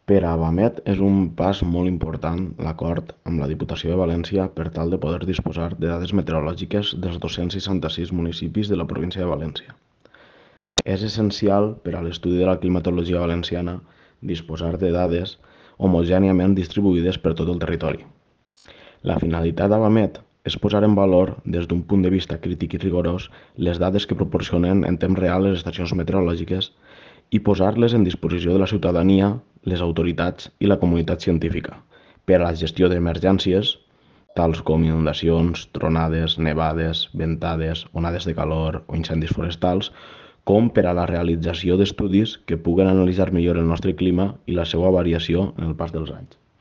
Per a Vamet és un pas molt important l'acord amb la Diputació de València per tal de poder disposar de dades meteorològiques dels 266 municipis de la província de València. És essencial per a l'estudi de la climatologia valenciana disposar de dades homogèniament distribuïdes per tot el territori. La finalitat d'Avamet és posar en valor, des d'un punt de vista crític i rigorós, les dades que proporcionen en temps real les estacions meteorològiques i posar-les en disposició de la ciutadania, les autoritats i la comunitat científica per a la gestió d'emergències, tals com inundacions, tronades, nevades, ventades, onades de calor o incendis forestals, com per a la realització d'estudis que puguen analitzar millor el nostre clima i la seva variació en el pas dels anys.